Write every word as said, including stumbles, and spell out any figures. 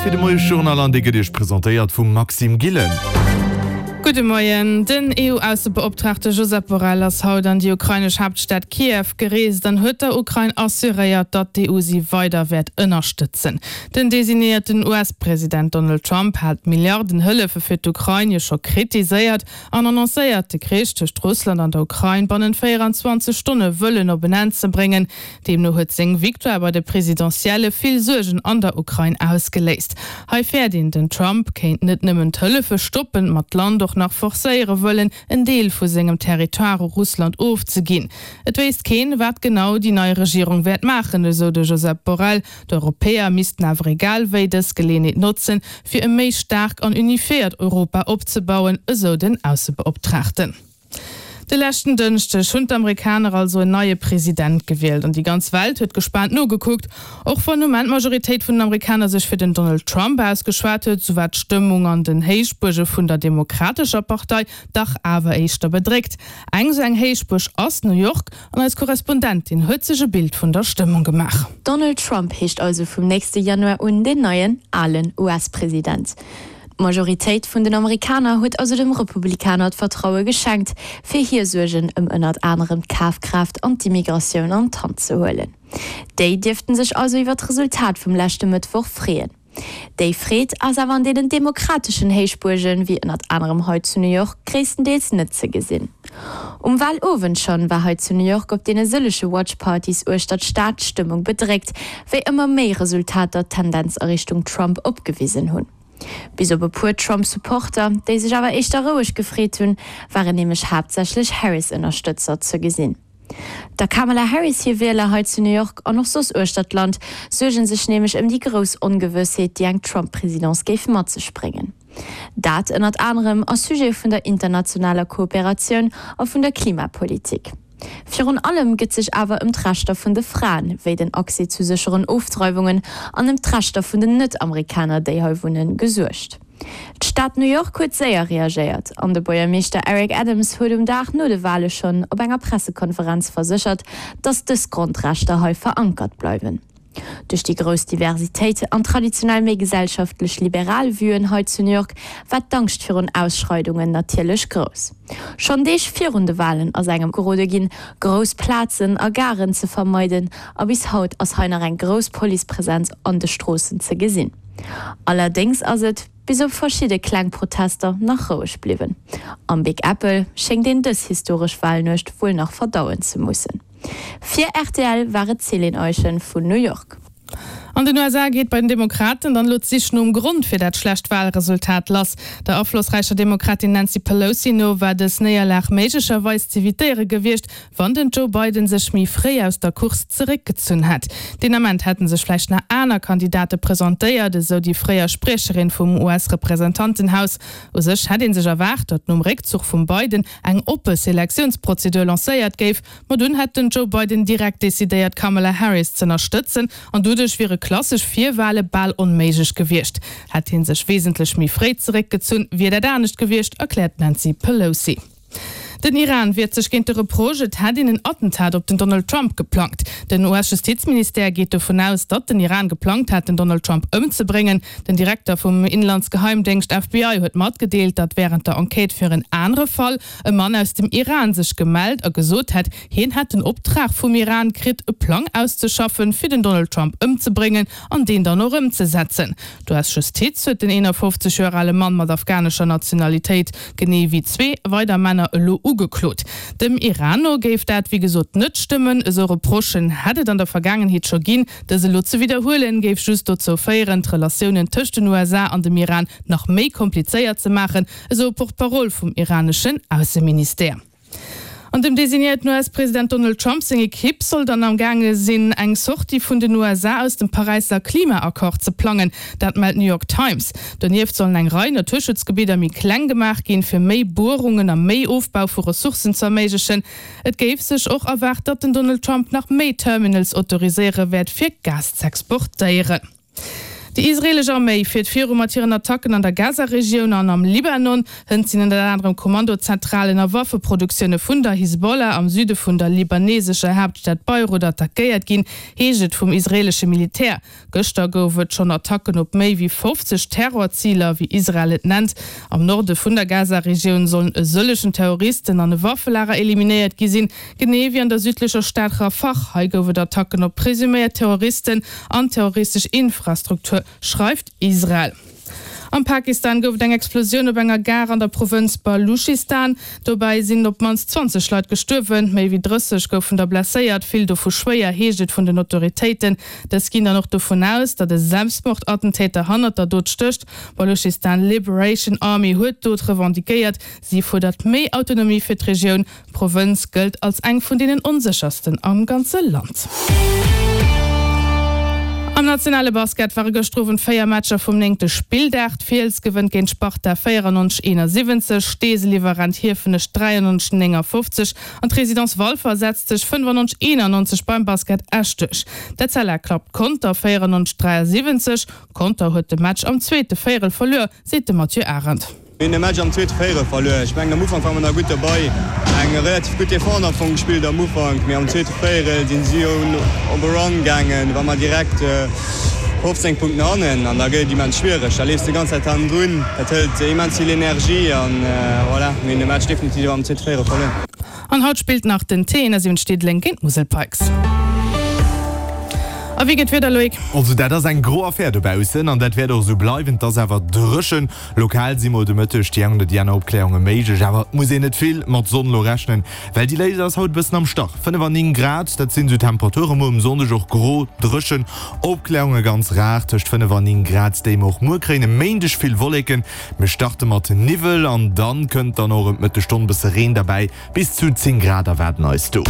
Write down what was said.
fir de Moiesjournal an dee gëtt Iech presentéiert vum Maxime Gillen. Gudde Moien. Den E U-Aussebeoptraagte Josep Borrell ass haut an déi ukrainesch Haaptstad Kiew gereest an huet der Ukrain assuréiert, datt d'E U si weider wäert ënnerstëtzen. Den designéierten U S-President Donald Trump hat d'Milliarden-Hëllefe fir d'Ukrain jo scho kritiséiert an annoncéiert, de Krich tëscht Russland an der Ukrain bannent véierenzwanzeg Stonne wëllen op en Enn ze bréngen. Deemno huet seng Victoire bei de Presidentielle vill Suergen an der Ukrain ausgeléist. Hei fäert een, den Trump kéint net nëmmen d'Hëllefe stoppen, ma d'Land och nach forcéiere wëllen, en Deel vu sengem Territoire u Russland ofzeginn. Et wéisst keen, wat genau déi nei Regierung wäert maachen, esou de Josep Borrell. D'Europäer missten awer egal wéi dës Geleeënheet notzen, fir e méi staark an unifiéiert Europa opzebauen, esou den Aussebeoptraagten. De leschten Dënschdeg hunn d'Amerikaner also en neie President gewielt an déi ganz Welt huet gespaant nogekuckt. Och wann um Enn d'Majoritéit vun den Amerikaner sech fir den Donald Trump ausgeschwat huet, sou war d'Stëmmung an den Héichbuerge vun der Demokratescher Partei dach awer éischter bedréckt. Eng sou eng Héichbuerg ass New York an eis Korrespondentin huet sech e Bild vun der Stëmmung gemaach. Donald Trump heescht also vum nächste Januar un den neien, alen U S-President. D'Majoritéit vun den Amerikaner huet also dem Republikaner d'Vertraue geschenkt, fir hir Suergen ëm ënnert anerem d'Kafkraaft an d'Immigratioun an d'Hand ze huelen. Déi dierften sech also iwwer d'Resultat vum leschte Mëttwoch freeën. Déi Freed ass awer an deenen demokrateschen Héichbuergen, wéi ënnert anerem hei zu New York, gréisstendeels net ze gesinn. Um Walowend schonn war hei zu New York op deene sëllege Watchpartys uechter d'Stad d'Stëmmung bedréckt, wéi ëmmer méi Resultater d'Tendenz a Richtung Trump opgewisen hunn. Bis op e puer Trump-Supporter, déi sech awer éischter roueg gefreet hunn, waren nämlech haaptsächlech Harris-Ënnerstëtzer ze gesinn. Der Kamala Harris hir Wieler hei zu New York an och soss uechter d'Land suerge sech nämlech ëm déi grouss Ongewëssheet, déi eng Trump-Presidence géif mat sech bréngen. Dat ënnert anerem a Sujete vun der internationaler Kooperatioun a vun der Klimapolitik. Virun allem gëtt sech awer ëm d'Rechter vun de Fraen, wéi den Accès zu sécheren Ofdreiwungen an ëm d'Rechter vun den Net-Amerikaner, déi hei wunnen, gesuergt. D'Stad New York huet séier reagéiert an de Buergermeeschter Eric Adams huet um Dag no de Wale schonn op enger Pressekonferenz verséchert, datt dës Grondrechter hei verankert bleiwen. Duerch déi grouss Diversitéit an traditionell méi gesellschaftlech liberal Vuen hei zu New York war d'Angscht virun Ausschreidungen natierlech grouss. Schonn Deeg virun de Walen ass engem gerode ginn, grouss Plazen a Garen ze vermeiden a bis haut ass hei nach eng grouss Policepresenz an de Stroossen ze gesinn. Allerdéngs ass et, bis op verschidde kleng Protester, nach roueg bliwwen. Am Big Apple schéngt een dës historesch Walnuecht wuel nach verdauen ze mussen. Fir R T L war et d'Céline Eischen vun New York. An den U S A geet bei den Demokraten dann elo d'Sich nom Grond fir dat schlecht Walresultat lass. Der aflossräicher Demokratin Nancy Pelosi no war dës Néierlag méiglecherweis z'evitéiere gewiescht, wann den Joe Biden sech méi fréi aus der Course zeréckgezunn hätt. Deen Ament hätte sech vläicht nach aner Kandidate presentéiert, esou déi fréier Spriecherin vum U S-Representantenhaus. U sech hätt ee sech erwaart, datt nom Réckzuch vum Biden eng oppe Selektiounsprozedur lancéiert géif, ma dunn hätt den Joe Biden direkt decidéiert, Kamala Harris z'ënnerstëtzen an doduerch wiere klassesch Virwale bal onméiglech gewiescht. Hätt hie sech wesentlech méi fréi zeréckgezunn, wier dat anescht gewiescht, erkläert d'Nancy Pelosi. Den Iran wiert sech géint de Reproche, et hätt een en Attentat op den Donald Trump geplangt. Den U S-Justizministère geet dovun aus, datt den Iran geplangt hat, den Donald Trump ëmzebréngen. Den Direkter vum Inlandsgeheimdéngscht F B I huet matgedeelt, datt wärend der Enquête fir en anere Fall e Mann aus dem Iran sech gemellt a gesot hätt, hien hätt den Optrag vum Iran kritt, e Plang auszeschaffen, fir den Donald Trump ëmzebréngen an deen dann och ëmzesetzen. D'U S-Justiz huet den eenafofzeg Joer ale Mann mat afghanescher Nationalitéit genee wéi zwee weider Männer elo ugeklot. Dem Iran no géif dat wéi gesot net stëmmen, esou Reprochen hätt et an der Vergaangenheet scho ginn. Dës elo ze widderhuelen, géif just dozou féieren, d'Relatiounen tëscht den U S A an dem Iran nach méi komplizéiert ze maachen, esou e Porte-parole vum iraneschen Ausseministère. An dem designéierten U S-President Donald Trump seng Ekipp soll dann am gaange sinn, eng Sortie vun den U S A aus dem Paräisser Klimaaccord ze plangen, dat mellt d'New York Times. Donieft sollen eng Rei Naturschutzgebidder méi kleng gemaach ginn, fir méi Buerungen a méi Ofbau vu Ressourcen ze erméiglechen. Et géif sech och erwaart, datt den Donald Trump nach méi Terminals autoriséiere wäert, fir Gas z'exportéieren. Déi israeelesch Arméi fiert viru mat hiren Attacken an der Gaza-Regioun an am Libanon. Hënt sinn ënner anerem Kommandozentralen a Waffeproduktioune vun der Hisbollah am Süde vun der libanesescher Haaptstad Beirut attackéiert ginn, heescht et vum israeelesche Militär. Gëschter gouf et schonn Attacken op méi wéi fofzeg Terrorziler, wéi Israel et nennt. Am Norde vun der Gaza-Regioun sollen e sëllegen Terroristen an e Waffelager eliminéiert gi sinn, genee wéi an der südlecher Stad Rafah. Hei gouf et Attacken op presuméiert Terroristen an terroristesch Infrastruktur, schreift Israel. Am Pakistan gouf et eng Explosioun op enger Gare an der Provënz Baluschistan. Dobäi sinn op d'mannst zwanzeg Leit gestuerwen, méi wéi drësseg goufen der blesséiert, vill dovu schwéier, heescht et vun den Autoritéiten. Dës ginn dann och dovun aus, datt e Selbstmordattentäter hannert der Dot stécht. D'Baluschistan Liberation Army huet d'Dot revendiquéiert. Si fuerdert méi Autonomie fir d'Regioun. D'Provënz gëllt als eng vun deenen onséchersten am ganze Land. Am nationale Basket ware gëschter Owend véier Matcher vum néngte Spilldag. D'Fiels gewënnt géint d'Sparta véierannonzeg eenasiwwenzeg, Steesel iwwerrennt Hiefenech dräiannonzeg néngafofzeg an d'Résidence Walfer setzt sech fënnefannonzeg eenannonzeg beim Basket Esch duerch. D'Etzella klappt Conter véierannonzeg dräiasiwwenzeg. Conter huet de Match am zweete Véierel verluer, seet de Mathieu Arendt. Mir hunn de Match am zweete Véierel verluer. Ech mengen am Ufank ware mer nach gutt derbei, eng relativ gutt Defense am Fong gespillt am Ufank, mee am zweete Véierel sinn si op e Run gaangen, war mer direkt fofzéng Punkten hannen an da gëtt et immens schwiereg. Da leefs de ganz Zäit hannendrun, dat hëlt immens vill Energie an voilà, mir hunn de Match definitiv am zweete Véierel verluer. An haut spillt nach den T siwwenzeg Diddeleng géint d'Musel Pikes. A wéi gëtt d'Wieder, Loïc? Also dat ass eng gro Affär dobaussen an dat wäert och esou bleiwen. Et ass awer dréchen. Lokal si mol de Mëtteg déi eng oder déi aner Opkläerunge méiglech, awer et muss een net vill mat Sonn elo rechnen, well déi léisst eis haut e bëssen am Stach. Fënnef an néng Grad, dat sinn esou d'Temperature muer um Sonndeg. Och gro, dréchen, Opkläerunge ganz rar, tëscht fënnef an néng Grad déi mer och muer kréien. E Méindeg vill Wolleken, mir starte mat Niwwel an dann kënnt dann och ëm d'Mëttesstonn bësse Reen derbäi. Bis zu zéng Grad erwaarden eis do.